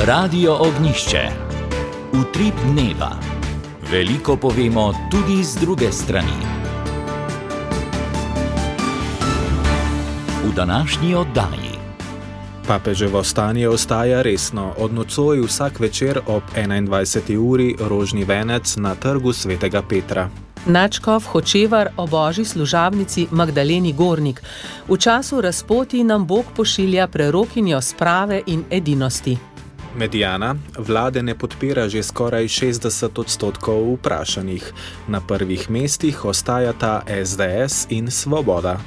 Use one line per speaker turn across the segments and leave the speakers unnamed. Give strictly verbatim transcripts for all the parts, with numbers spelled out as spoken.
Radio Ognišče. Utrip dneva. Veliko povemo tudi z druge strani. V današnji oddaji.
Papeževo stanje ostaja resno. Od nocoj vsak večer ob enaindvajseti uri rožni venec na trgu svetega Petra.
Nadškof Hočevar o božji služabnici Magdaleni Gornik. V času razpoti nam Bog pošilja prerokinjo sprave in edinosti.
Medijana vlade ne podpira že skoraj šestdeset odstotkov vprašanih. Na prvih mestih ostajata es de es in Svoboda.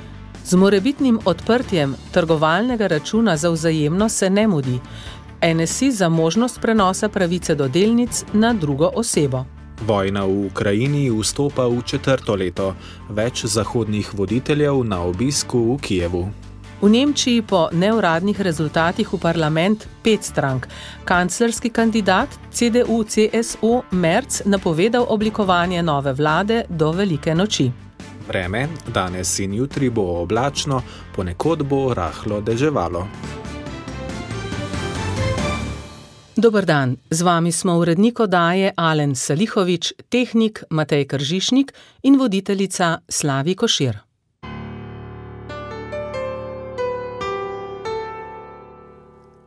Z morebitnim odprtjem trgovalnega računa za vzajemno se ne mudi. en es i za možnost prenosa pravice do delnic na drugo osebo.
Vojna v Ukrajini vstopa v četrto leto. Več zahodnih voditeljev na obisku v Kijevu.
V Nemčiji po neuradnih rezultatih v parlament pet strank. Kanclerski kandidat ce de u ce es u Merz napovedal oblikovanje nove vlade do velike noči.
Vreme, danes in jutri bo oblačno, ponekod bo rahlo deževalo.
Dober dan, z vami smo urednik oddaje Alen Salihovič, tehnik Matej Kržišnik in voditeljica Slavi Košir.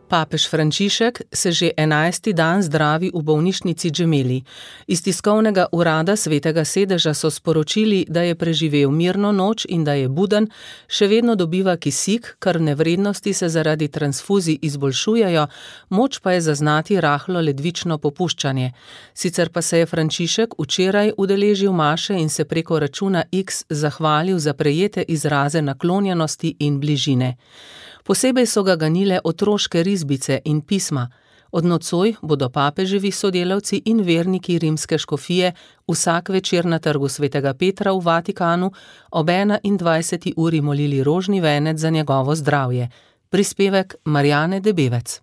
Papež Frančišek se že enajsti dan zdravi v bolnišnici Gemelli. Iz tiskovnega urada Svetega sedeža so sporočili, da je preživel mirno noč in da je buden, še vedno dobiva kisik, krvne vrednosti se zaradi transfuzij izboljšujejo, moč pa je zaznati rahlo ledvično popuščanje. Sicer pa se je Frančišek včeraj udeležil maše in se preko računa X zahvalil za prejete izraze naklonjenosti in bližine. Posebej so ga ganile otroške risbice in pisma. Od nocoj bodo papeževi sodelavci in verniki rimske škofije vsak večer na trgu svetega Petra v Vatikanu ob enaindvajseti uri molili rožni venec za njegovo zdravje. Prispevek Marjane Debevec.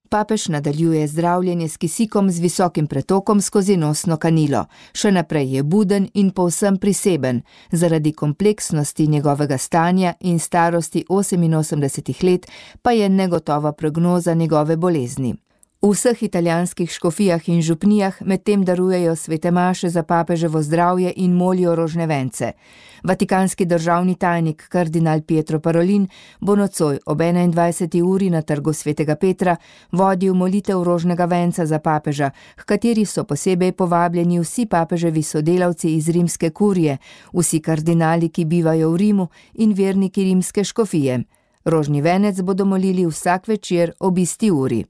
Papež nadaljuje zdravljenje s kisikom z visokim pretokom skozi nosno kanilo. Še naprej je buden in povsem priseben. Zaradi kompleksnosti njegovega stanja in starosti oseminosemdesetih let pa je negotova prognoza njegove bolezni. V vseh italijanskih škofijah in župnijah medtem darujejo svete maše za papeževo zdravje in molijo rožne vence. Vatikanski državni tajnik kardinal Pietro Parolin bo nocoj ob enaindvajseti uri na trgu svetega Petra vodil molitev rožnega venca za papeža, h kateri so posebej povabljeni vsi papeževi sodelavci iz rimske kurije, vsi kardinali, ki bivajo v Rimu in verniki rimske škofije. Rožni venec bodo molili vsak večer ob isti uri.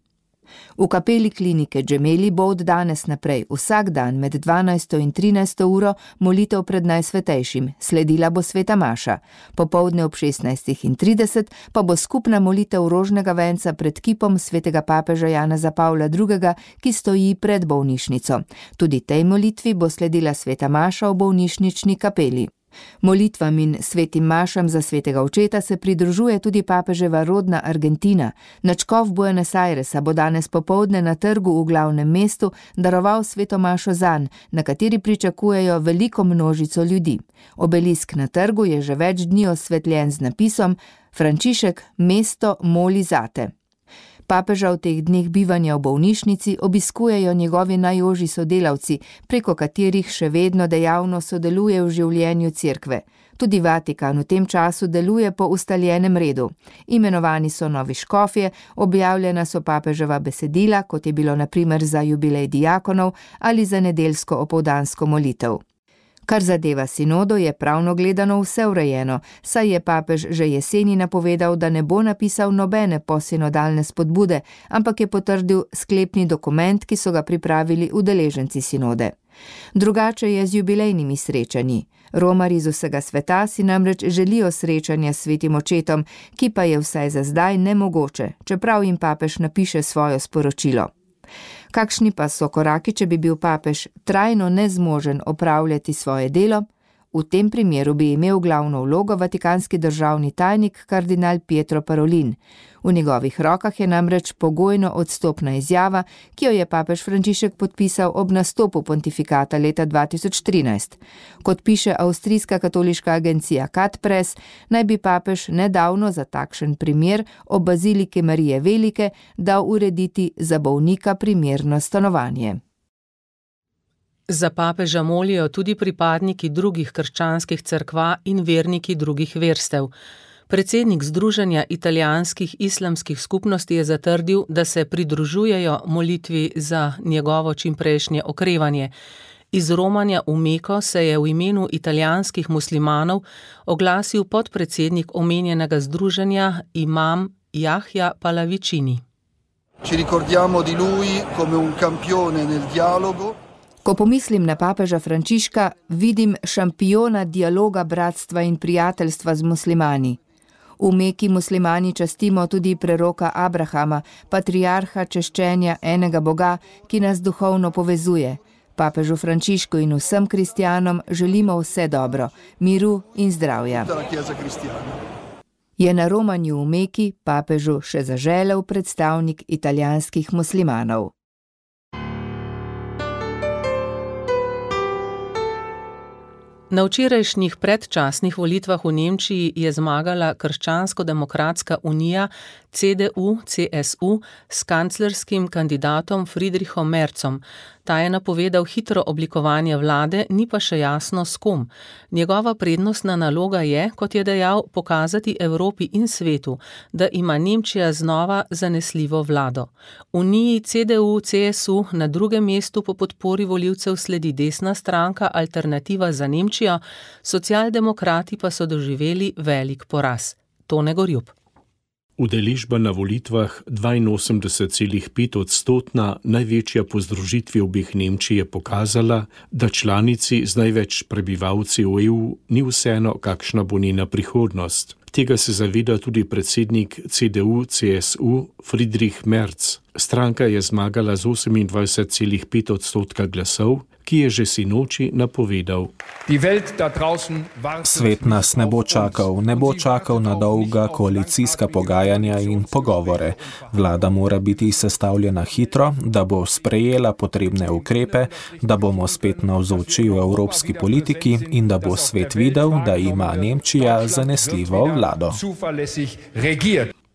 V kapeli klinike Gemelli bo od danes naprej vsak dan med dvanajsto in trinajsto uro molitev pred Najsvetejšim, sledila bo sveta maša. Popoldne ob šestnajstih trideset pa bo skupna molitev rožnega venca pred kipom svetega papeža Janeza Pavla drugega, ki stoji pred bolnišnico. Tudi tej molitvi bo sledila sveta maša v bolnišnični kapeli. Molitvam in svetim mašam za svetega očeta se pridružuje tudi papeževa rodna Argentina. Nadškof Buenos Airesa bo danes popoldne na trgu v glavnem mestu daroval sveto mašo zanj, na kateri pričakujejo veliko množico ljudi. Obelisk na trgu je že več dni osvetljen z napisom Frančišek, mesto moli zate. Papeža v teh dneh bivanja v bolnišnici obiskujejo njegovi najožji sodelavci, preko katerih še vedno dejavno sodeluje v življenju cerkve. Tudi Vatikan v tem času deluje po ustaljenem redu. Imenovani so novi škofje, objavljena so papeževa besedila, kot je bilo na primer za jubilej diakonov ali za nedeljsko opoldansko molitev. Kar zadeva sinodo, je pravno gledano vse urejeno, saj je papež že jeseni napovedal, da ne bo napisal nobene posinodalne spodbude, ampak je potrdil sklepni dokument, ki so ga pripravili udeleženci sinode. Drugače je z jubilejnimi srečanji. Romarji iz vsega sveta si namreč želijo srečanja s svetim očetom, ki pa je vsaj za zdaj nemogoče, čeprav jim papež napiše svoje sporočilo. Kakšni pa so koraki, če bi bil papež trajno nezmožen opravljati svoje delo? V tem primeru bi imel glavno vlogo vatikanski državni tajnik kardinal Pietro Parolin. V njegovih rokah je namreč pogojno odstopna izjava, ki jo je papež Frančišek podpisal ob nastopu pontifikata leta dva tisoč trinajst. Kot piše avstrijska katoliška agencija Katpres, naj bi papež nedavno za takšen primer ob baziliki Marije Velike dal urediti za bolnika primerno stanovanje.
Za papeža molijo tudi pripadniki drugih krščanskih cerkva in verniki drugih verstev. Predsednik Združenja italijanskih islamskih skupnosti je zatrdil, da se pridružujejo molitvi za njegovo čimprejšnje okrevanje. Iz romanja v Meko se je v imenu italijanskih muslimanov oglasil podpredsednik omenjenega združenja imam Yahya Pallavicini.
Ci ricordiamo di lui come un campione nel dialogo.
Ko pomislim na papeža Frančiška, vidim šampiona dialoga, bratstva in prijateljstva z muslimani. V Meki muslimani častimo tudi preroka Abrahama, patriarha češčenja enega Boga, ki nas duhovno povezuje. Papežu Frančišku in vsem kristjanom želimo vse dobro, miru in zdravja. Je na romanju v Meki papežu še zaželel predstavnik italijanskih muslimanov.
Na včerajšnjih predčasnih volitvah v Nemčiji je zmagala Krščansko-demokratska unija C D U C S U s kanclerskim kandidatom Friedrichom Merzom. Ta je napovedal hitro oblikovanje vlade, ni pa še jasno s kom. Njegova prednostna naloga je, kot je dejal, pokazati Evropi in svetu, da ima Nemčija znova zanesljivo vlado. Uniji C D U C S U na drugem mestu po podpori volivcev sledi desna stranka Alternativa za Nemčijo, socialdemokrati pa so doživeli velik poraz. Tone Gorjup.
Udeležba na volitvah dvainosemdeset celih pet odstotna, največja po združitvi obeh Nemčij, je pokazala, da članici z največ prebivalci v E U ni vseeno, kakšna bo njena prihodnost. Tega se zaveda tudi predsednik C D U C S U Friedrich Merz. Stranka je zmagala z osemindvajset celih pet odstotka glasov, ki je že sinoči napovedal.
Svet nas ne bo čakal, ne bo čakal na dolga koalicijska pogajanja in pogovore. Vlada mora biti sestavljena hitro, da bo sprejela potrebne ukrepe, da bomo spet navzoči v evropski politiki in da bo svet videl, da ima Nemčija zanesljivo vlado.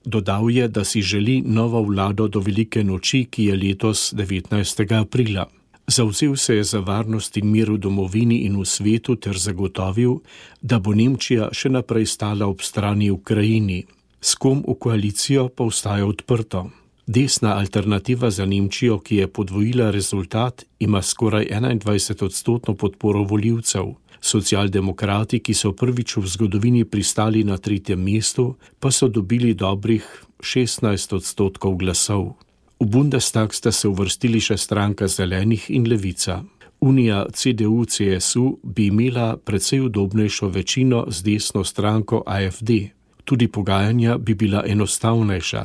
Dodal je, da si želi novo vlado do velike noči, ki je letos devetnajstega aprila. Zavzel se je za varnost in mir v domovini in v svetu ter zagotovil, da bo Nemčija še naprej stala ob strani Ukrajini. S kom v koalicijo pa ostaja odprto. Desna Alternativa za Nemčijo, ki je podvojila rezultat, ima skoraj enaindvajset odstotno podporo volivcev. Socialdemokrati, ki so prvič v zgodovini pristali na tretjem mestu, pa so dobili dobrih šestnajst odstotkov glasov. V Bundestag sta se uvrstili še stranka Zelenih in Levica. Unija C D U C S U bi imela precej udobnejšo večino z desno stranko A F D. Tudi pogajanja bi bila enostavnejša,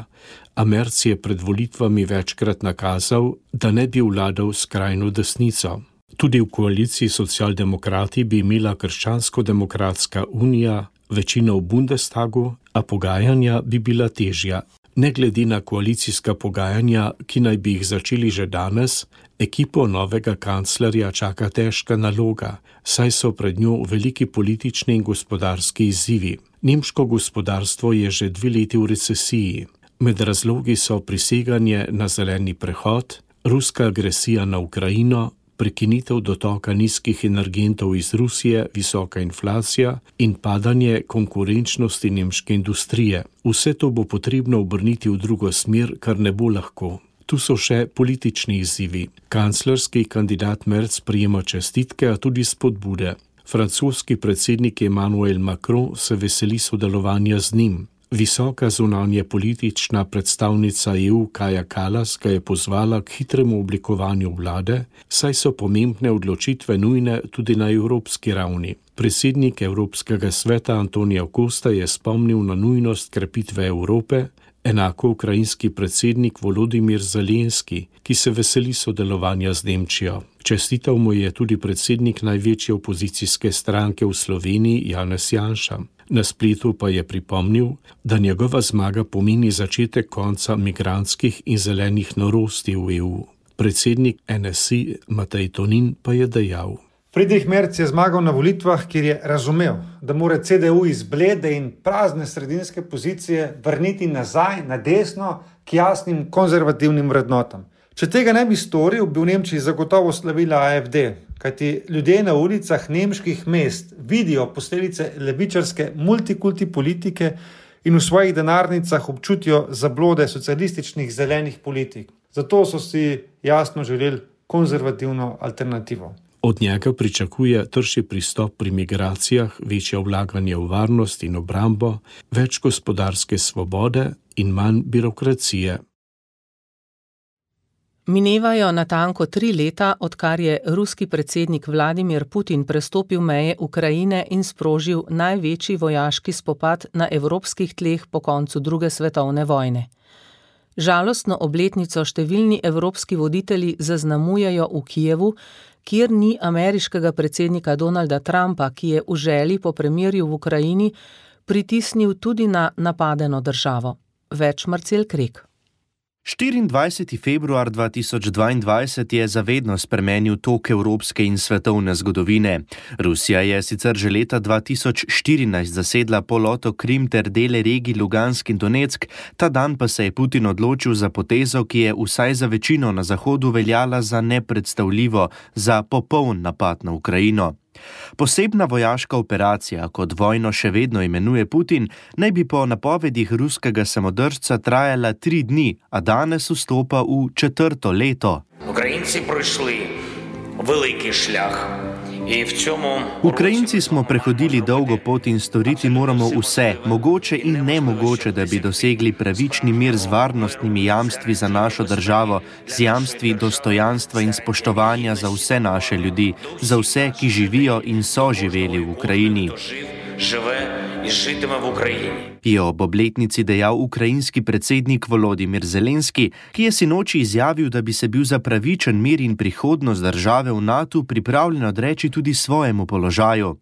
a Merz je pred volitvami večkrat nakazal, da ne bi vladal skrajno desnico. Tudi v koaliciji socialdemokrati bi imela Krščansko-demokratska unija večino v Bundestagu, a pogajanja bi bila težja. Ne glede na koalicijska pogajanja, ki naj bi jih začeli že danes, ekipo novega kanclerja čaka težka naloga, saj so pred njo veliki politični in gospodarski izzivi. Nemško gospodarstvo je že dve leti v recesiji. Med razlogi so priseganje na zeleni prehod, ruska agresija na Ukrajino, prekinitev dotoka nizkih energentov iz Rusije, visoka inflacija in padanje konkurenčnosti nemške industrije. Vse to bo potrebno obrniti v drugo smer, kar ne bo lahko. Tu so še politični izzivi. Kanclerski kandidat Merz prijema čestitke, a tudi spodbude. Francoski predsednik Emmanuel Macron se veseli sodelovanja z njim. Visoka zunanje politična predstavnica E U Kaja Kallas ga je pozvala k hitremu oblikovanju vlade, saj so pomembne odločitve nujne tudi na evropski ravni. Predsednik Evropskega sveta Antonio Costa je spomnil na nujnost krepitve Evrope, Enako ukrajinski predsednik Volodimir Zelenski, ki se veseli sodelovanja z Nemčijo. Čestital mu je tudi predsednik največje opozicijske stranke v Sloveniji Janez Janša. Na spletu pa je pripomnil, da njegova zmaga pomeni začetek konca migrantskih in zelenih norosti v E U. Predsednik N S I Matej Tonin pa je dejal:
Friedrich Merz je zmagal na volitvah, kjer je razumel, da mora C D U iz blede in prazne sredinske pozicije vrniti nazaj na desno k jasnim konzervativnim vrednotam. Če tega ne bi storil, bi v Nemčiji zagotovo slavila A F D, kajti ljudje na ulicah nemških mest vidijo posledice levičarske multikulti politike in v svojih denarnicah občutijo zablode socialističnih zelenih politik. Zato so si jasno želeli konzervativno alternativo.
Od njega pričakuje trši pristop pri migracijah, večje vlaganje v varnost in obrambo, več gospodarske svobode in manj birokracije.
Minevajo natanko tri leta, odkar je ruski predsednik Vladimir Putin prestopil meje Ukrajine in sprožil največji vojaški spopad na evropskih tleh po koncu druge svetovne vojne. Žalostno obletnico številni evropski voditelji zaznamujejo v Kijevu, kjer ni ameriškega predsednika Donalda Trumpa, ki je v želji po premirju v Ukrajini pritisnil tudi na napadeno državo. Več Marcel Krek.
štiriindvajseti februar dva tisoč dvaindvajset je zavedno spremenil tok evropske in svetovne zgodovine. Rusija je sicer že leta dva tisoč štirinajst zasedla polotok Krim ter dele regij Lugansk in Donetsk, ta dan pa se je Putin odločil za potezo, ki je vsaj za večino na Zahodu veljala za nepredstavljivo, za popoln napad na Ukrajino. Posebna vojaška operacija, kot vojno še vedno imenuje Putin, naj bi po napovedih ruskega samodržca trajala tri dni, a danes vstopa v četrto leto.
Ukrajinci prišli veliki šljah.
Ukrajinci smo prehodili dolgo pot in storiti moramo vse, mogoče in nemogoče, da bi dosegli pravični mir z varnostnimi jamstvi za našo državo, z jamstvi dostojanstva in spoštovanja za vse naše ljudi, za vse, ki živijo in so živeli v Ukrajini. Je ob obletnici dejal ukrajinski predsednik Volodimir Zelenski, ki je sinoči izjavil, da bi se bil za pravičen mir in prihodnost države v NATO pripravljen odreči tudi svojemu položaju.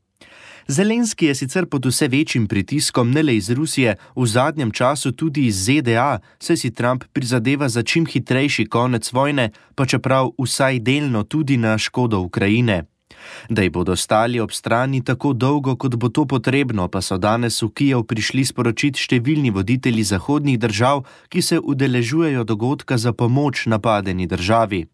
Zelenski je sicer pod vse večjim pritiskom ne le iz Rusije, v zadnjem času tudi iz Z D A, saj si Trump prizadeva za čim hitrejši konec vojne, pa čeprav vsaj delno tudi na škodo Ukrajine. Da ji bodo stali ob strani tako dolgo, kot bo to potrebno, pa so danes v Kijev prišli sporočiti številni voditelji zahodnih držav, ki se udeležujejo dogodka za pomoč napadeni državi.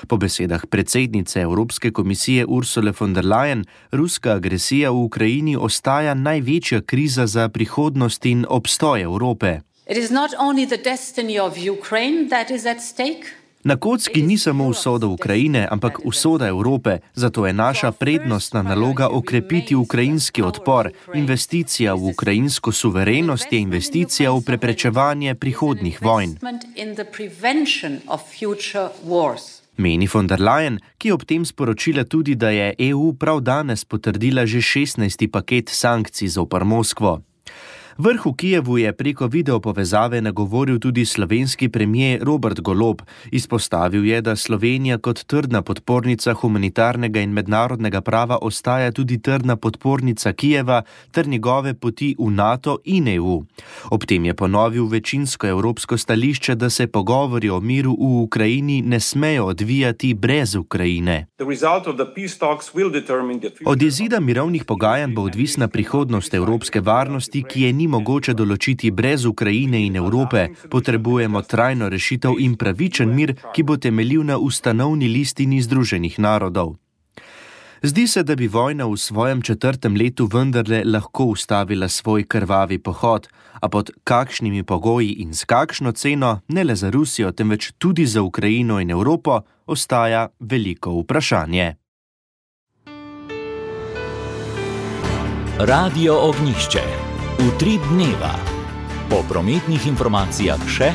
Po besedah predsednice Evropske komisije Ursule von der Leyen, ruska agresija v Ukrajini ostaja največja kriza za prihodnost in obstoj Evrope.
It is not only the destiny of Ukraine that is at stake.
Na kocki ni samo usoda Ukrajine, ampak usoda Evrope, zato je naša prednostna naloga okrepiti ukrajinski odpor. Investicija v ukrajinsko suverenost je investicija v preprečevanje prihodnjih vojn. Meni von der Leyen, ki je ob tem sporočila tudi, da je E U prav danes potrdila že šestnajsti paket sankcij zoper Moskvo. Vrh v Kijevu je preko videopovezave nagovoril tudi slovenski premier Robert Golob. Izpostavil je, da Slovenija kot trdna podpornica humanitarnega in mednarodnega prava ostaja tudi trdna podpornica Kijeva ter njegove poti v NATO in E U. Ob tem je ponovil večinsko evropsko stališče, da se pogovori o miru v Ukrajini ne smejo odvijati brez Ukrajine. Od izida mirovnih pogajanj bo odvisna prihodnost evropske varnosti, ki je ni mogoče določiti brez Ukrajine in Evrope. Potrebujemo trajno rešitev in pravičen mir, ki bo temeljil na ustanovni listini Združenih narodov. Zdi se, da bi vojna v svojem četrtem letu vendarle lahko ustavila svoj krvavi pohod, a pod kakšnimi pogoji in s kakšno ceno, ne le za Rusijo, temveč tudi za Ukrajino in Evropo, ostaja veliko vprašanje.
Radio Ognjišče. Utrip dneva. Po prometnih informacijah še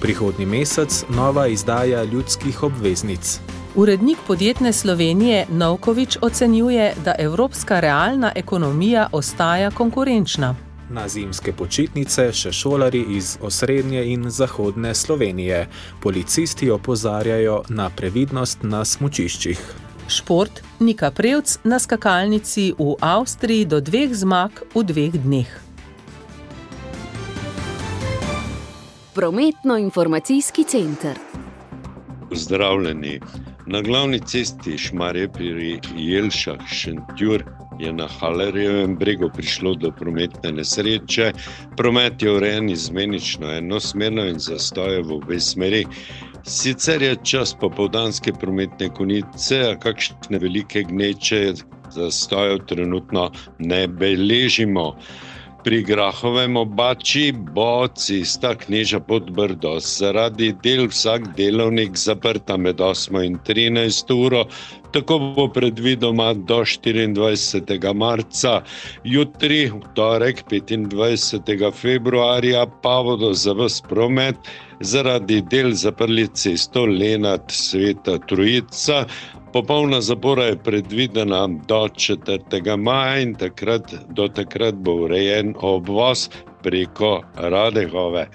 prihodnji mesec nova izdaja ljudskih obveznic.
Urednik Podjetne Slovenije Novkovič ocenjuje, da evropska realna ekonomija ostaja konkurenčna.
Na zimske počitnice še šolari iz osrednje in zahodne Slovenije. Policisti opozarjajo na previdnost na smučiščih.
Šport, Nika Prevc na skakalnici v Avstriji do dveh zmag v dveh dneh.
Prometno-informacijski center.
Pozdravljeni. Na glavni cesti Šmarje pri Jelšah Šentjur je na Halerjevem bregu prišlo do prometne nesreče. Promet je urejen izmenično enosmerno in zastoje v obe smeri. Sicer je čas popoldanske prometne konice, a kakšne velike gneče zastojev trenutno ne beležimo. Pri Grahovem obači bo cesta Kneža-Podbrdo zaradi del vsak delovnik zaprta med osmo in trinajsto uro. Tako bo predvidoma do štiriindvajsetega marca. Jutri, v torek, petindvajsetega februarja, pa bodo za ves promet zaradi del zaprli cesto Lenart-Sveta Trojica. Popolna zapora je predvidena do četrtega maja in takrat, do takrat bo urejen obvoz preko Radegove.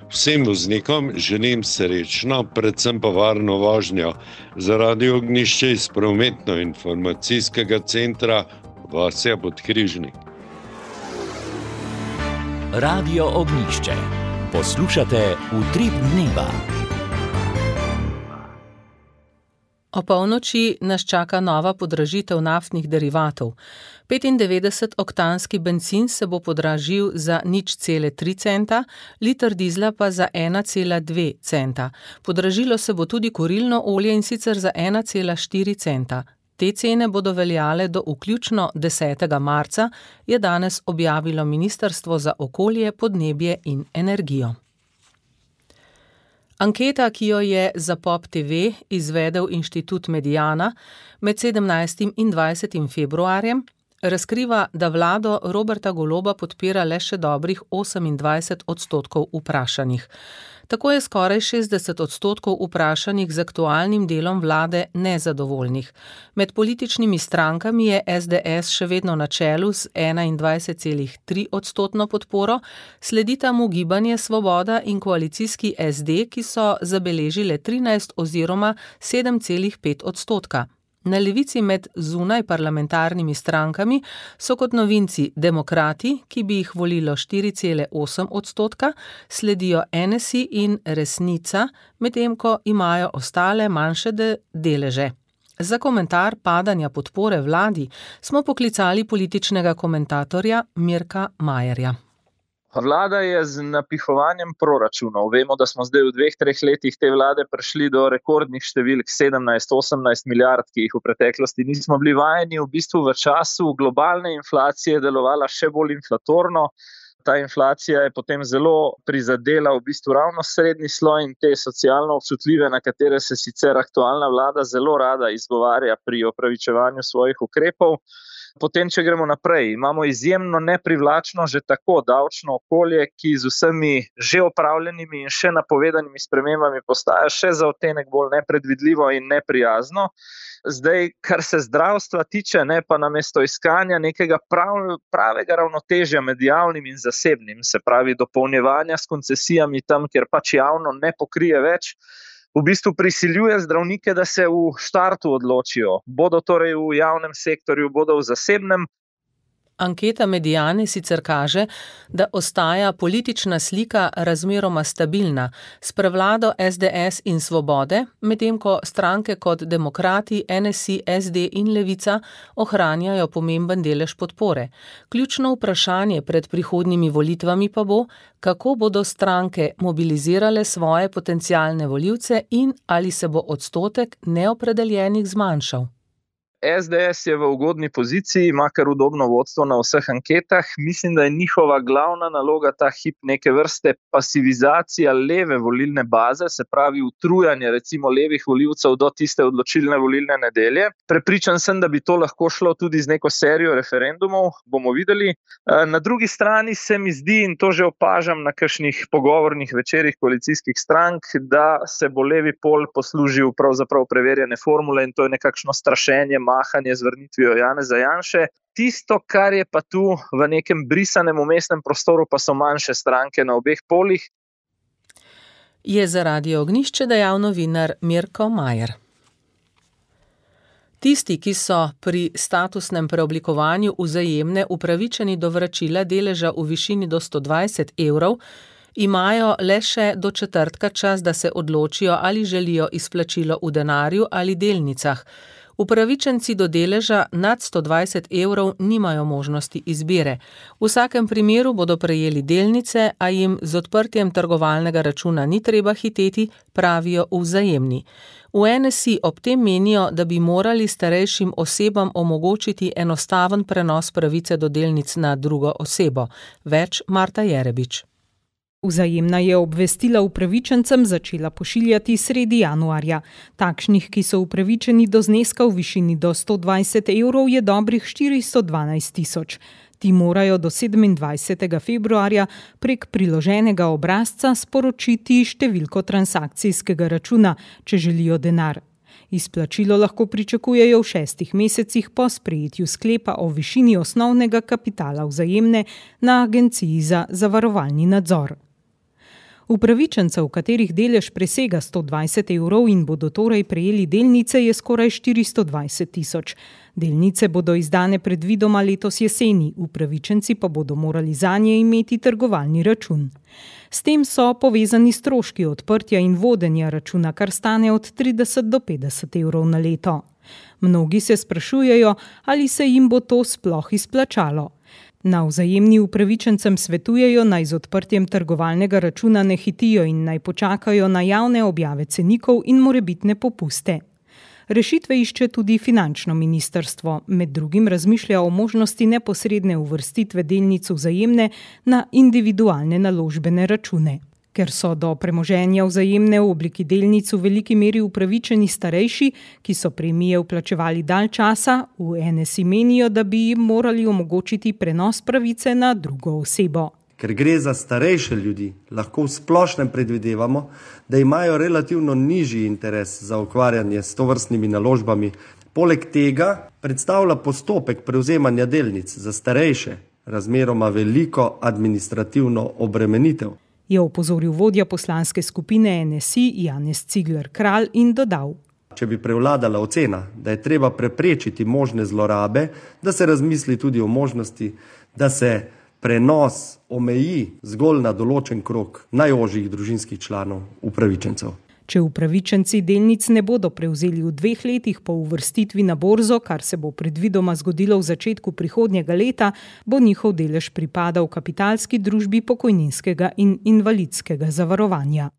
Vsem voznikom želim srečno, predvsem pa varno vožnjo. Zaradi ognjišča iz prometno-informacijskega centra Vasja Podkrižnik.
Radio Ognjišče. Poslušate Utrip dneva.
O polnoči nas čaka nova podražitev naftnih derivatov. petindevetdesetoktanski bencin se bo podražil za nič cele tri centa, liter dizla pa za ena cela dve centa. Podražilo se bo tudi kurilno olje in sicer za ena cela štiri centa. Te cene bodo veljale do vključno desetega marca, je danes objavilo Ministrstvo za okolje, podnebje in energijo. Anketa, ki jo je za Pop te ve izvedel Inštitut Mediana med sedemnajstim in dvajsetim februarjem, razkriva, da vlado Roberta Goloba podpira le še dobrih osemindvajset odstotkov vprašanih. Tako je skoraj šestdeset odstotkov vprašanih z aktualnim delom vlade nezadovoljnih. Med političnimi strankami je es de es še vedno na čelu z enaindvajset celih tri odstotno podporo, sledita mu Gibanje Svoboda in koalicijski es de, ki so zabeležile trinajst oziroma sedem celih pet odstotka. Na levici med zunaj parlamentarnimi strankami so kot novinci Demokrati, ki bi jih volilo štiri cele osem odstotka, sledijo en es i in Resnica, medtem ko imajo ostale manjše de- deleže. Za komentar padanja podpore vladi smo poklicali političnega komentatorja Mirka Majerja.
Vlada je z napihovanjem proračunov. Vemo, da smo zdaj v dveh, treh letih te vlade prišli do rekordnih številk sedemnajst, osemnajst milijard, ki jih v preteklosti nismo bili vajeni. V bistvu v času globalne inflacije delovala še bolj inflatorno. Ta inflacija je potem zelo prizadela v bistvu ravno srednji sloj in te socialno občutljive, na katere se sicer aktualna vlada zelo rada izgovarja pri opravičevanju svojih ukrepov. Potem, če gremo naprej, imamo izjemno neprivlačno že tako davčno okolje, ki z vsemi že opravljenimi in še napovedanimi spremembami postaja še za odtenek bolj nepredvidljivo in neprijazno. Zdaj, kar se zdravstva tiče, ne, pa namesto iskanja nekega prav, pravega ravnotežja med javnim in zasebnim, se pravi dopolnjevanja s koncesijami tam, kjer pač javno ne pokrije več, v bistvu prisiljuje zdravnike, da se v štartu odločijo. Bodo torej v javnem sektorju, bodo v zasebnem.
Anketa Mediane sicer kaže, da ostaja politična slika razmeroma stabilna, s prevlado es de es in Svobode, medtem ko stranke kot Demokrati, en es i, es de in Levica ohranjajo pomemben delež podpore. Ključno vprašanje pred prihodnjimi volitvami pa bo, kako bodo stranke mobilizirale svoje potencialne volivce in ali se bo odstotek neopredeljenih zmanjšal.
es de es je v ugodni poziciji, ima kar udobno vodstvo na vseh anketah. Mislim, da je njihova glavna naloga ta hip neke vrste pasivizacija leve volilne baze, se pravi utrujanje recimo levih volivcev do tiste odločilne volilne nedelje. Prepričan sem, da bi to lahko šlo tudi z neko serijo referendumov, bomo videli. Na drugi strani se mi zdi, in to že opažam na kakšnih pogovornih večerih koalicijskih strank, da se bo levi pol poslužil pravzaprav preverjene formule in to je nekakšno strašenje, mahanje z vrnitvijo Janeza Janše. Tisto, kar je pa tu v nekem brisanem umestnem prostoru, pa so manjše stranke na obeh polih.
Je za Radio Ognjišče dejal novinar Mirko Majer. Tisti, ki so pri statusnem preoblikovanju Vzajemne upravičeni do vračila deleža v višini do sto dvajset evrov, imajo le še do četrtka čas, da se odločijo, ali želijo izplačilo v denarju ali delnicah. Upravičenci do deleža nad sto dvajset evrov nimajo možnosti izbire. V vsakem primeru bodo prejeli delnice, a jim z odprtjem trgovalnega računa ni treba hiteti, pravijo v Vzajemni. V N S I ob tem menijo, da bi morali starejšim osebam omogočiti enostaven prenos pravice do delnic na drugo osebo. Več Marta Jerebič.
Vzajemna je obvestila upravičencem začela pošiljati sredi januarja. Takšnih, ki so upravičeni do zneska v višini do sto dvajset evrov, je dobrih štiristo dvanajst tisoč. Ti morajo do sedemindvajsetega februarja prek priloženega obrazca sporočiti številko transakcijskega računa, če želijo denar. Izplačilo lahko pričakujejo v šestih mesecih po sprejetju sklepa o višini osnovnega kapitala Vzajemne na Agenciji za zavarovalni nadzor. Upravičencev, katerih delež presega sto dvajset evrov in bodo torej prejeli delnice, je skoraj štiristo dvajset tisoč. Delnice bodo izdane predvidoma letos jeseni, upravičenci pa bodo morali zanje imeti trgovalni račun. S tem so povezani stroški odprtja in vodenja računa, kar stane od trideset do petdeset evrov na leto. Mnogi se sprašujejo, ali se jim bo to sploh izplačalo. Na Vzajemni upravičencem svetujejo, naj z odprtjem trgovalnega računa ne hitijo in naj počakajo na javne objave cenikov in morebitne popuste. Rešitve išče tudi finančno ministrstvo, med drugim razmišlja o možnosti neposredne uvrstitve delnic Vzajemne na individualne naložbene račune. Ker so do premoženja Vzajemne v obliki delnic v veliki meri upravičeni starejši, ki so premije vplačevali dalj časa, v N S I menijo, da bi jim morali omogočiti prenos pravice na drugo osebo.
Ker gre za starejše ljudi, lahko v splošnem predvidevamo, da imajo relativno nižji interes za ukvarjanje s tovrstnimi naložbami. Poleg tega predstavlja postopek prevzemanja delnic za starejše razmeroma veliko administrativno obremenitev.
Je opozoril vodja poslanske skupine N S I Janez Cigler Kralj in dodal.
Če bi prevladala ocena, da je treba preprečiti možne zlorabe, da se razmisli tudi o možnosti, da se prenos omeji zgolj na določen krog najožjih družinskih članov upravičencev.
Če upravičenci delnic ne bodo prevzeli v dveh letih po uvrstitvi na borzo, kar se bo predvidoma zgodilo v začetku prihodnjega leta, bo njihov delež pripadal kapitalski družbi pokojninskega in invalidskega zavarovanja.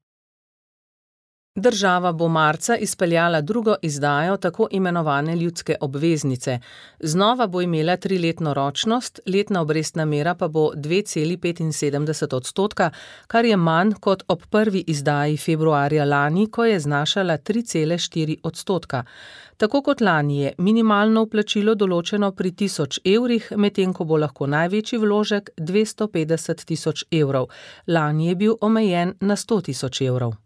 Država bo marca izpeljala drugo izdajo tako imenovane ljudske obveznice. Znova bo imela triletno ročnost, letna obrestna mera pa bo dve celi petinsedemdeset odstotka, kar je manj kot ob prvi izdaji februarja lani, ko je znašala tri cele štiri odstotka. Tako kot lani je minimalno vplačilo določeno pri tisoč evrih, medtem ko bo lahko največji vložek dvesto petdeset tisoč evrov. Lani je bil omejen na sto tisoč evrov.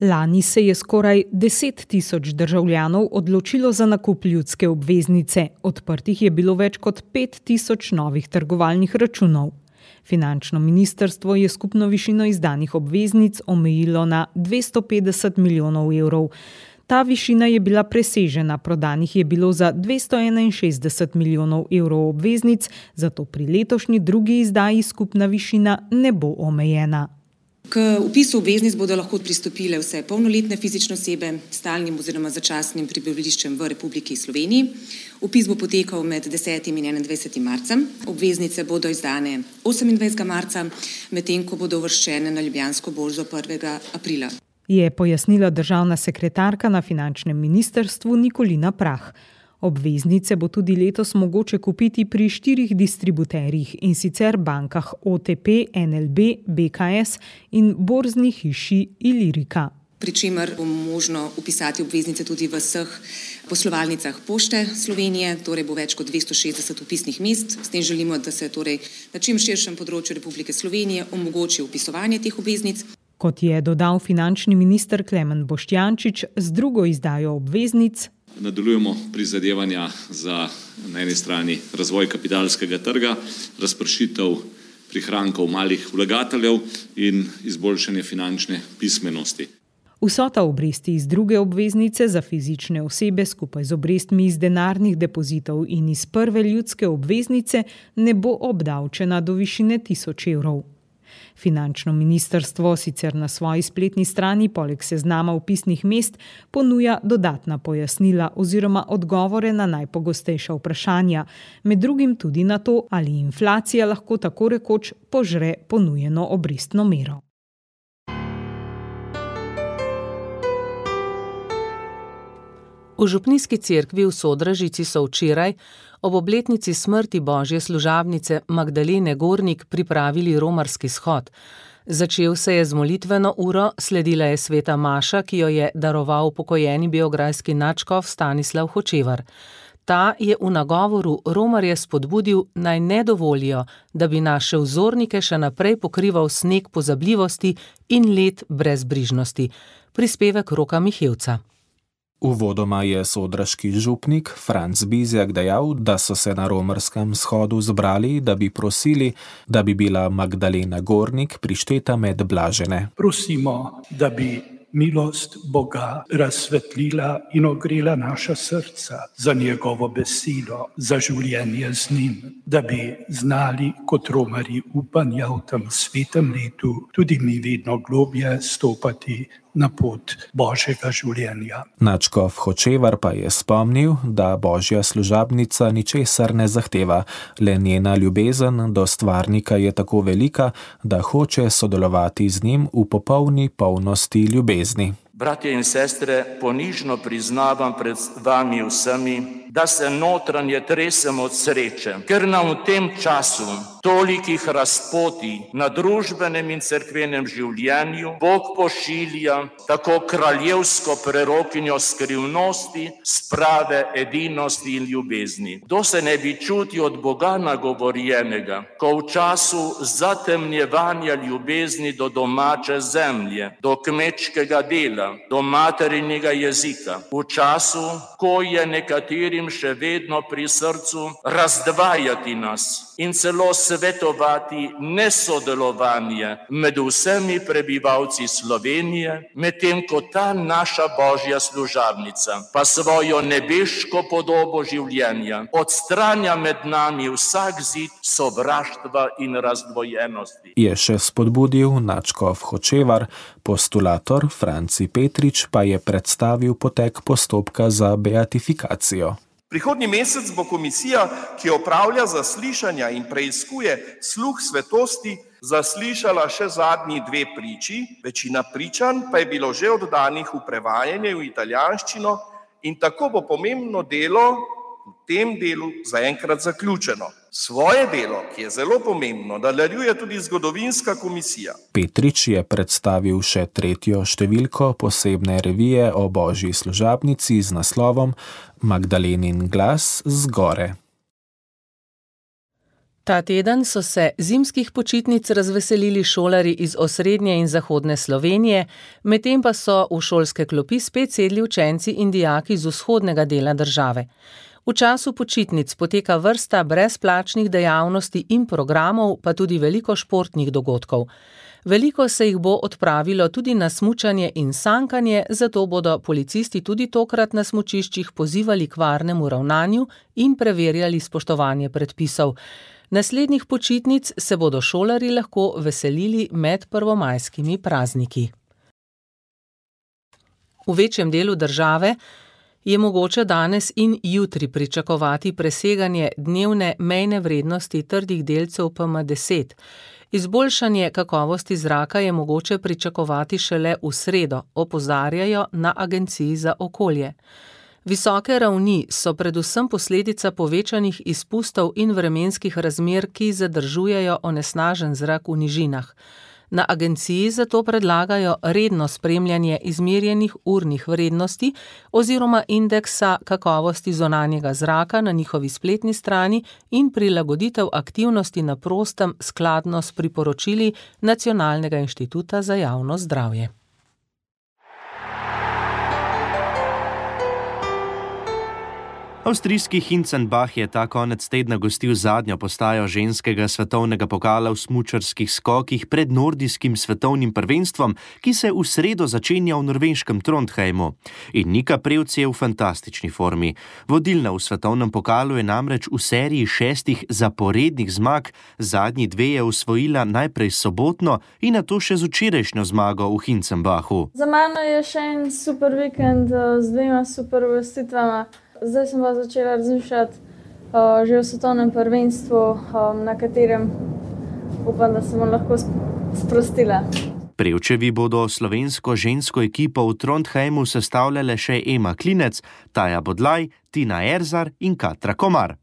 Lani se je skoraj deset tisoč državljanov odločilo za nakup ljudske obveznice. Odprtih je bilo več kot pet tisoč novih trgovalnih računov. Finančno ministrstvo je skupno višino izdanih obveznic omejilo na dvesto petdeset milijonov evrov. Ta višina je bila presežena, prodanih je bilo za dvesto enainšestdeset milijonov evrov obveznic, zato pri letošnji drugi izdaji skupna višina ne bo omejena.
K vpisu obveznic bodo lahko pristopile vse polnoletne fizične osebe s stalnim oziroma začasnim prebivališčem v Republiki Sloveniji. Vpis bo potekal med desetim in enaindvajsetim marcem. Obveznice bodo izdane osemindvajsetega marca, medtem ko bodo uvrščene na Ljubljansko borzo prvega aprila.
Je pojasnila državna sekretarka na finančnem ministrstvu Nikolina Prah. Obveznice bo tudi letos mogoče kupiti pri štirih distributerjih, in sicer bankah O T P, N L B, B K S in borzni hiši Ilirika.
Pri čemer bo možno vpisati obveznice tudi v vseh poslovalnicah Pošte Slovenije, torej bo več kot dvesto šestdeset vpisnih mest. S tem želimo, da se torej na čim širšem področju Republike Slovenije omogoči vpisovanje teh obveznic.
Kot je dodal finančni minister Klemen Boštjančič, z drugo izdajo obveznic
Nadaljujemo prizadevanja za na eni strani razvoj kapitalskega trga, razpršitev prihrankov malih vlagateljev in izboljšanje finančne pismenosti.
Vsota obresti iz druge obveznice za fizične osebe skupaj z obrestmi iz denarnih depozitov in iz prve ljudske obveznice ne bo obdavčena do višine tisoč evrov. Finančno ministrstvo sicer na svoji spletni strani poleg seznama vpisnih mest ponuja dodatna pojasnila oziroma odgovore na najpogostejša vprašanja, med drugim tudi na to, ali inflacija lahko tako rekoč požre ponujeno obrestno mero.
V župnijski cerkvi v Sodražici so včeraj ob obletnici smrti božje služabnice Magdalene Gornik pripravili romarski shod. Začel se je z molitveno uro, sledila je sveta maša, ki jo je daroval pokojeni beograjski nadškof Stanislav Hočevar. Ta je v nagovoru romarje spodbudil, naj ne dovolijo, da bi naše vzornike še naprej pokrival sneg pozabljivosti in led brezbrižnosti. Prispevek Roka Mihevca.
Uvodoma je sodraški župnik Franc Bizjak dejal, da so se na romarskem shodu zbrali, da bi prosili, da bi bila Magdalena Gornik prišteta med blažene.
Prosimo, da bi milost Boga razsvetlila in ogrela naša srca za njegovo besedo, za življenje z njim, da bi znali kot romarji upanja v tem svetem letu tudi mi vedno globje stopati na pot božjega življenja.
Nadškof Hočevar pa je spomnil, da božja služabnica ničesar ne zahteva, le njena ljubezen do stvarnika je tako velika, da hoče sodelovati z njim v popolni polnosti ljubezni.
Bratje in sestre, ponižno priznavam pred vami vsemi, da se notranje tresem od sreče, ker nam v tem času tolikih razpoti na družbenem in cerkvenem življenju Bog pošilja tako kraljevsko prerokinjo skrivnosti, sprave, edinosti in ljubezni. Kdo se ne bi čutil od Boga nagovorjenega, ko v času zatemnjevanja ljubezni do domače zemlje, do kmečkega dela, do materinjega jezika, v času, ko je nekaterim še vedno pri srcu razdvajati nas in celo svetovati nesodelovanje med vsemi prebivalci Slovenije, medtem ko ta naša božja služabnica pa svojo nebeško podobo življenja odstranja med nami vsak zid sovraštva in razdvojenosti.
Je še spodbudil nadškof Hočevar, postulator Franci Petrič pa je predstavil potek postopka za beatifikacijo.
Prihodnji mesec bo komisija, ki opravlja zaslišanja in preiskuje sluh svetosti, zaslišala še zadnji dve priči, večina pričanj pa je bilo že oddanih v prevajanje v italijanščino in tako bo pomembno delo v tem delu zaenkrat zaključeno. Svoje delo, ki je zelo pomembno, nadaljuje tudi zgodovinska komisija.
Petrič je predstavil še tretjo številko posebne revije o božji služabnici z naslovom Magdalenin glas z gore.
Ta teden so se zimskih počitnic razveselili šolarji iz osrednje in zahodne Slovenije, medtem pa so v šolske klopi spet sedli učenci in dijaki z vzhodnega dela države. V času počitnic poteka vrsta brezplačnih dejavnosti in programov, pa tudi veliko športnih dogodkov. Veliko se jih bo odpravilo tudi na smučanje in sankanje, zato bodo policisti tudi tokrat na smučiščih pozivali k varnemu ravnanju in preverjali spoštovanje predpisov. Naslednjih počitnic se bodo šolarji lahko veselili med prvomajskimi prazniki. V večjem delu države je mogoče danes in jutri pričakovati preseganje dnevne mejne vrednosti trdih delcev P M deset. Izboljšanje kakovosti zraka je mogoče pričakovati šele v sredo, opozarjajo na Agenciji za okolje. Visoke ravni so predvsem posledica povečanih izpustov in vremenskih razmer, ki zadržujejo onesnažen zrak v nižinah. Na agenciji zato predlagajo redno spremljanje izmerjenih urnih vrednosti oziroma indeksa kakovosti zunanjega zraka na njihovi spletni strani in prilagoditev aktivnosti na prostem skladno s priporočili Nacionalnega inštituta za javno zdravje.
Avstrijski Hinzenbach je ta konec tedna gostil zadnjo postajo ženskega svetovnega pokala v smučarskih skokih pred nordijskim svetovnim prvenstvom, ki se v sredo začenja v norveškem Trondheimu. In Nika Prevc je v fantastični formi. Vodilna v svetovnem pokalu je namreč v seriji šestih zaporednih zmag, zadnji dve je osvojila najprej sobotno in nato še z včerajšnjo zmago v Hinzenbachu.
Za mano je še en super vikend z dvema super uvrstitvama. Zdaj sem pa začela razmišljati uh, že o svetovnem prvenstvu, um, na katerem upam, da se bom lahko sprostila.
Prevčevi bodo slovensko žensko ekipo v Trondheimu sestavljale še Ema Klinec, Taja Bodlaj, Tina Erzar in Katra Komar.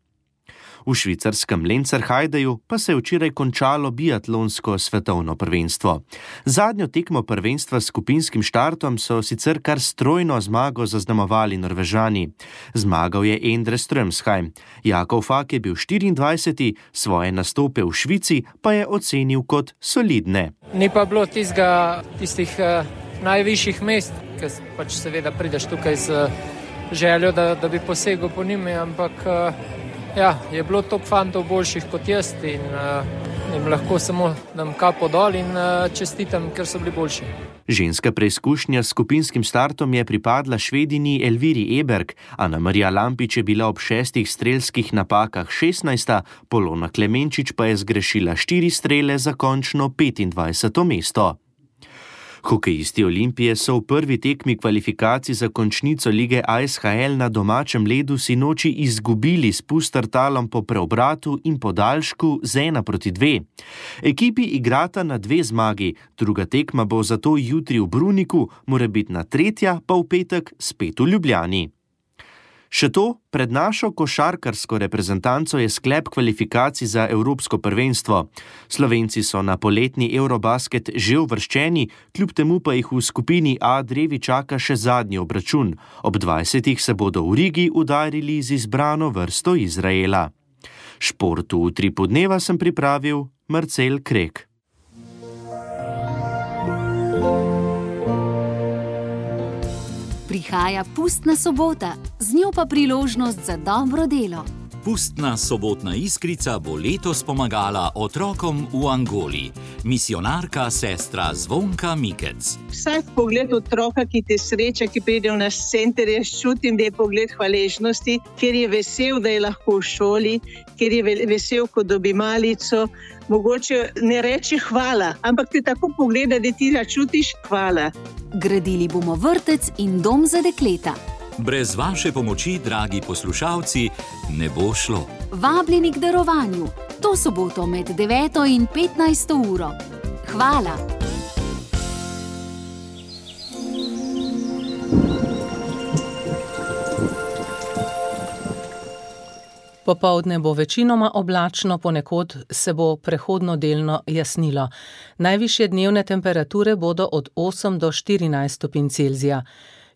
V švicarskem Lenzerheideju pa se je včeraj končalo biatlonsko svetovno prvenstvo. Zadnjo tekmo prvenstva s skupinskim štartom so sicer kar strojno zmago zaznamovali Norvežani. Zmagal je Endre Strømsheim. Jakov Fak je bil štiriindvajseti, svoje nastope v Švici pa je ocenil kot solidne.
Ni pa bilo tistega, tistih uh, najvišjih mest, ker pač seveda prideš tukaj z željo, da, da bi posegel po njimi, ampak uh, ja, je bilo top fantov boljših kot jaz in uh, jim lahko samo dam kapo dol in uh, čestitam, ker so bili boljši.
Ženska preizkušnja s skupinskim startom je pripadla Švedini Elviri Eberg, Ana Marija Lampič je bila ob šestih strelskih napakah šestnajsta, Polona Klemenčič pa je zgrešila štiri strele za končno petindvajseto mesto. Hokejisti Olimpije so v prvi tekmi kvalifikacij za končnico lige A S H L na domačem ledu sinoči izgubili s Pustertalom po preobratu in podaljšku z ena proti dve. Ekipi igrata na dve zmagi, druga tekma bo zato jutri v Bruniku, morebitna tretja pa v petek spet v Ljubljani. Še to, pred našo košarkarsko reprezentanco je sklep kvalifikacij za Evropsko prvenstvo. Slovenci so na poletni Eurobasket že uvrščeni, kljub temu pa jih v skupini A drevi čaka še zadnji obračun. Ob dvajsetih se bodo v Rigi udarili z izbrano vrsto Izraela. Športu v Utripu dneva sem pripravil Marcel Krek.
Prihaja pustna sobota, z njo pa priložnost za dobro delo.
Pustna sobotna iskrica bo letos pomagala otrokom v Angoli. Misionarka sestra Zvonka Mikec.
Vsak pogled otroka, ki te sreča, ki pride v naš center, jaz čutim, da je pogled hvaležnosti, ker je vesel, da je lahko v šoli, ker je vesel, ko dobi malico. Mogoče ne reče hvala, ampak te tako pogleda, da ti začutiš hvala.
Gradili bomo vrtec in dom za dekleta.
Brez vaše pomoči, dragi poslušalci, ne bo šlo.
Vabljeni k darovanju. To soboto med deveto in petnajsto uro. Hvala.
Popoldne bo večinoma oblačno, ponekod se bo prehodno delno jasnilo. Najvišje dnevne temperature bodo od osem do štirinajst stopinj Celzija.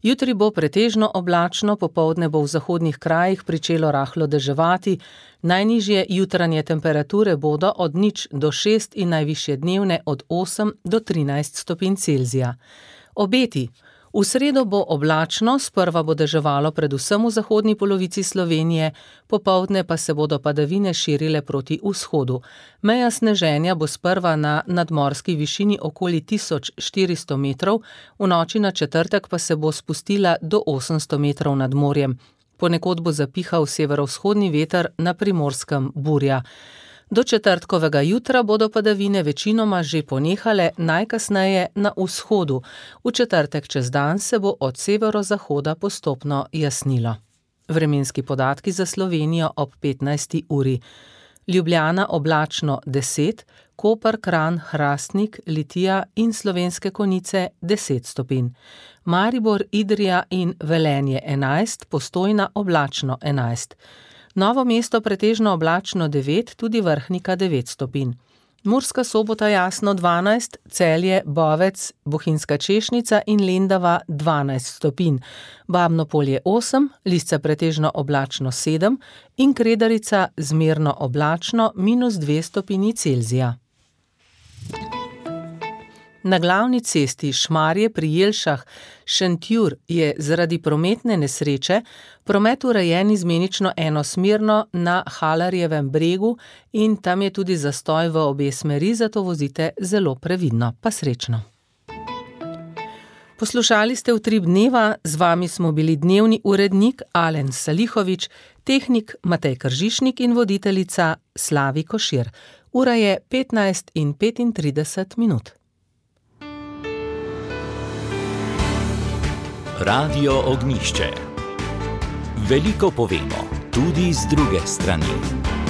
Jutri bo pretežno oblačno, popoldne bo v zahodnih krajih pričelo rahlo deževati, najnižje jutranje temperature bodo od nič do šest in najvišje dnevne od osem do trinajst stopinj Celzija. Obeti. V sredo bo oblačno, sprva bo deževalo predvsem v zahodni polovici Slovenije, popoldne pa se bodo padavine širile proti vzhodu. Meja sneženja bo sprva na nadmorski višini okoli tisoč štiristo metrov, v noči na četrtek pa se bo spustila do osemsto metrov nad morjem. Ponekod bo zapihal severovzhodni veter, na Primorskem burja. Do četrtkovega jutra bodo padavine večinoma že ponehale, najkasneje na vzhodu. V četrtek čez dan se bo od severozahoda postopno jasnilo. Vremenski podatki za Slovenijo ob petnajsti uri. Ljubljana oblačno deset, Koper, Kranj, Hrastnik, Litija in Slovenske Konjice deset stopinj. Maribor, Idrija in Velenje enajst, Postojna oblačno enajst. Novo mesto pretežno oblačno devet, tudi Vrhnika devet stopinj. Murska Sobota jasno dvanajst, Celje, Bovec, Bohinjska Češnica in Lendava dvanajst stopinj. Babno Polje osem, Lisca pretežno oblačno sedem in Kredarica zmerno oblačno minus dve stopinji Celzija. Na glavni cesti Šmarje pri Jelšah Šentjur je zaradi prometne nesreče promet urejen izmenično enosmerno na Halarjevem bregu in tam je tudi zastoj v obe smeri, zato vozite zelo previdno, pa srečno. Poslušali ste Utrip dneva, z vami smo bili dnevni urednik Alen Salihovič, tehnik Matej Kržišnik in voditeljica Slavi Košir. Ura je petnajst in petintrideset minut.
Radio Ognjišče. Veliko povemo, tudi z druge strani.